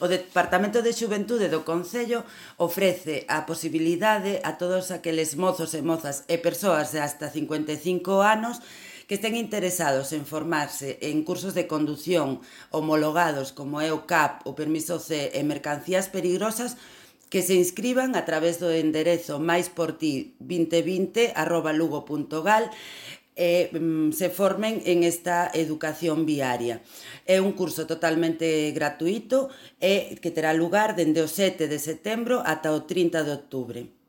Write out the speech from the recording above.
O Departamento de Xuventude do Concello ofrece a posibilidade a todos aqueles mozos e mozas e persoas de hasta 55 anos que estén interesados en formarse en cursos de condución homologados como é o CAP, o permiso C e mercancías peligrosas, que se inscriban a través do enderezo maisporti2020@lugo.gal e se formen en esta educación viaria. É un curso totalmente gratuito e que terá lugar dende o 7 de setembro ata o 30 de outubro.